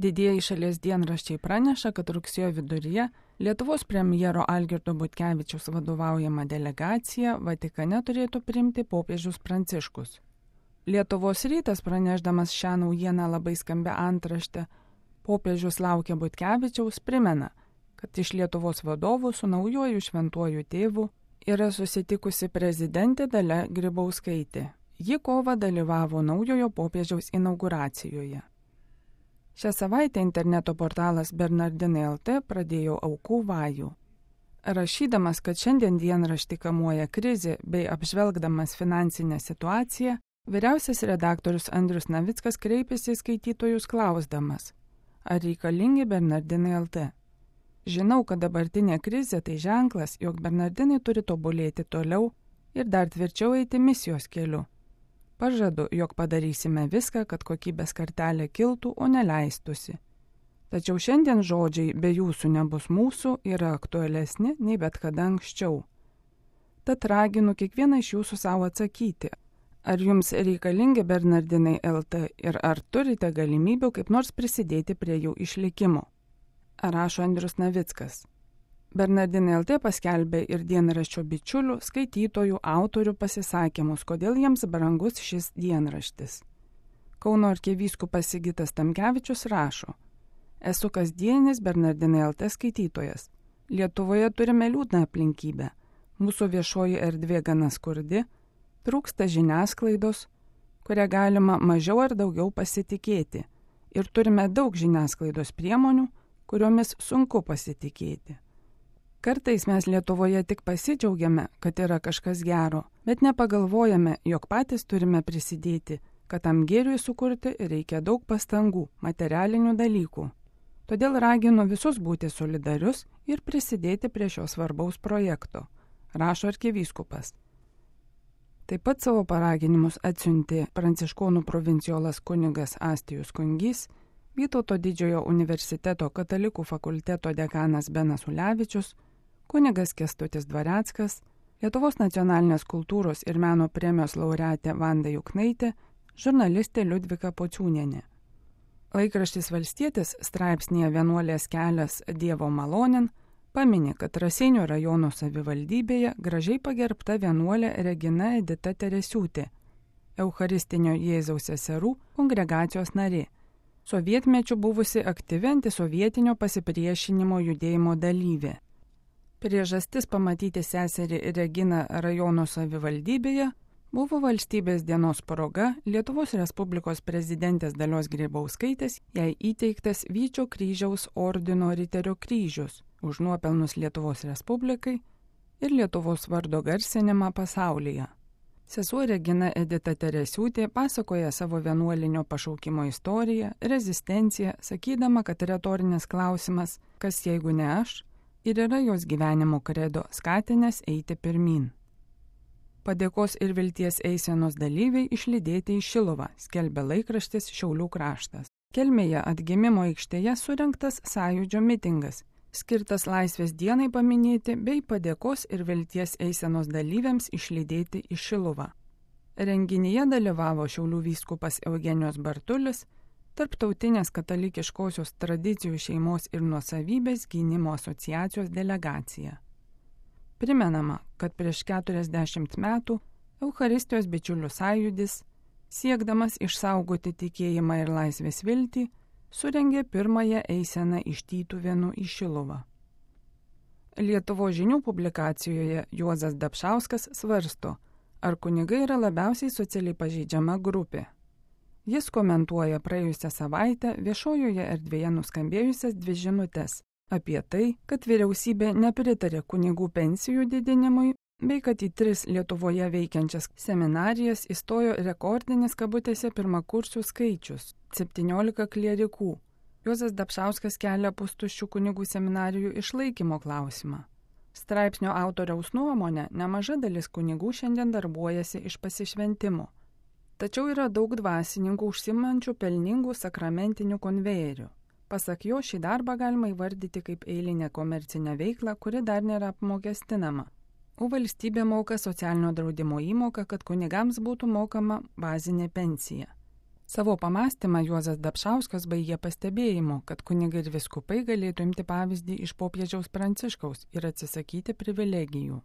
Didieji šalies dienraščiai praneša, kad rugsėjo viduryje Lietuvos premjero Algirdo Butkevičiaus vadovaujama delegacija Vatikane turėtų priimti popiežius Pranciškus. Lietuvos rytas pranešdamas šią naujieną labai skambia antraštę popiežius laukia Butkevičiaus primena, kad iš Lietuvos vadovų su naujuoju šventuoju tėvu yra susitikusi prezidentė Dalia Grybauskaitė. Ji kovą dalyvavo naujojo popiežiaus inauguracijoje. Šią savaitę interneto portalas Bernardinai LT pradėjo aukų vajų. Rašydamas, kad šiandien dienraštį kamuoja krizė bei apžvelgdamas finansinę situaciją, vyriausias redaktorius Andrius Navickas kreipėsi į skaitytojus klausdamas, ar reikalingi Bernardinai LT. Žinau, kad dabartinė krizė tai ženklas, jog Bernardinai turi tobulėti toliau ir dar tvirčiau eiti misijos keliu. Pažadu, jog padarysime viską, kad kokybės kartelė kiltų, o ne leistusi. Tačiau šiandien žodžiai be jūsų nebus mūsų yra aktualesni nei bet kada anksčiau. Tad raginu kiekvieną iš jūsų savo atsakyti, ar jums reikalingi Bernardinai LT ir ar turite galimybių kaip nors prisidėti prie jų išlikimo. Rašo Andrius Navickas. Bernardinai LT paskelbė ir dienraščio bičiulių, skaitytojų, autorių pasisakymus, kodėl jiems brangus šis dienraštis. Kauno arkivyskupas Sigitas Tamkevičius rašo, esu kasdienis Bernardinai LT skaitytojas. Lietuvoje turime liūdną aplinkybę. Mūsų viešoji erdvė gana skurdi, trūksta žiniasklaidos, kurią galima mažiau ar daugiau pasitikėti. Ir turime daug žiniasklaidos priemonių, kuriomis sunku pasitikėti. Kartais mes Lietuvoje tik pasidžiaugiame, kad yra kažkas gero, bet nepagalvojame, jog patys turime prisidėti, kad tam gėriui sukurti reikia daug pastangų, materialinių dalykų. Todėl raginu visus būti solidarius ir prisidėti prie šio svarbaus projekto, rašo arkivyskupas. Taip pat savo paraginimus atsiuntė pranciškonų provinciolas kunigas Astijus Kungys, Vytauto didžiojo universiteto katalikų fakulteto dekanas Benas Ulevičius, kunigas Kęstutis Dvareckas, Lietuvos nacionalinės kultūros ir meno premijos laureatė Vanda Juknaitė, žurnalistė Liudvika Pociūnienė. Laikraštis Valstietis straipsnėje Vienuolės kelias Dievo malonin pamini, kad Raseinių rajono savivaldybėje gražiai pagerbta vienuolė Regina Edita Teresiūtė, Eucharistinio Jėzaus seserų kongregacijos narė, sovietmečiu buvusi aktyvi antisovietinio pasipriešinimo judėjimo dalyvė. Priežastis pamatyti seserį Reginą rajono savivaldybėje buvo valstybės dienos proga Lietuvos Respublikos prezidentės Dalios Grybauskaitės jai įteiktas Vyčio kryžiaus ordino riterio kryžius už nuopelnus Lietuvos Respublikai ir Lietuvos vardo garsinimą pasaulyje. Sesuo Regina Edita Teresiūtė pasakoja savo vienuolinio pašaukimo istoriją, rezistenciją, sakydama, kad retorinis klausimas, kas jeigu ne aš, ir yra jos gyvenimo kredo skatinęs eiti pirmyn. Padėkos ir vilties eisenos dalyviai išlydėti į Šiluvą, skelbia laikraštis Šiaulių kraštas. Kelmėje atgimimo aikštėje surengtas sąjūdžio mitingas, skirtas Laisvės dienai paminėti bei padėkos ir vilties eisenos dalyviams išlydėti į Šiluvą. Renginyje dalyvavo Šiaulių vyskupas Eugenijus Bartulis, Tarptautinės katalikiškosios tradicijų šeimos ir nuosavybės gynimo asociacijos delegacija. Primenama, kad prieš 40 metų Eucharistijos bičiulių sąjūdis, siekdamas išsaugoti tikėjimą ir laisvės viltį, surengė pirmąją eiseną iš Tytuvėnų į Šiluvą. Lietuvos žinių publikacijoje Juozas Dapšauskas svarsto, ar kunigai yra labiausiai socialiai pažeidžiama grupė. Jis komentuoja praėjusią savaitę viešojoje erdvėje nuskambėjusias 2 žinutės apie tai, kad vyriausybė nepritarė kunigų pensijų didinimui, bei kad į 3 Lietuvoje veikiančias seminarijas įstojo rekordinis kabutėse pirmakursių skaičius – 17 klierikų. Juozas Dapšauskas kelia pustuščių kunigų seminarijų išlaikymo klausimą. Straipsnio autoriaus nuomonė, nemaža dalis kunigų šiandien darbuojasi iš pasišventimo. Tačiau yra daug dvasininkų užsiimančių pelningų sakramentinių konvejerių. Pasak jo, šį darbą galima įvardyti kaip eilinę komercinę veiklą, kuri dar nėra apmokestinama. O valstybė moka socialinio draudimo įmoką, kad kunigams būtų mokama bazinė pensija. Savo pamąstymą Juozas Dapšauskas baigė pastebėjimu, kad kunigai ir vyskupai galėtų imti pavyzdį iš popiežiaus Pranciškaus ir atsisakyti privilegijų.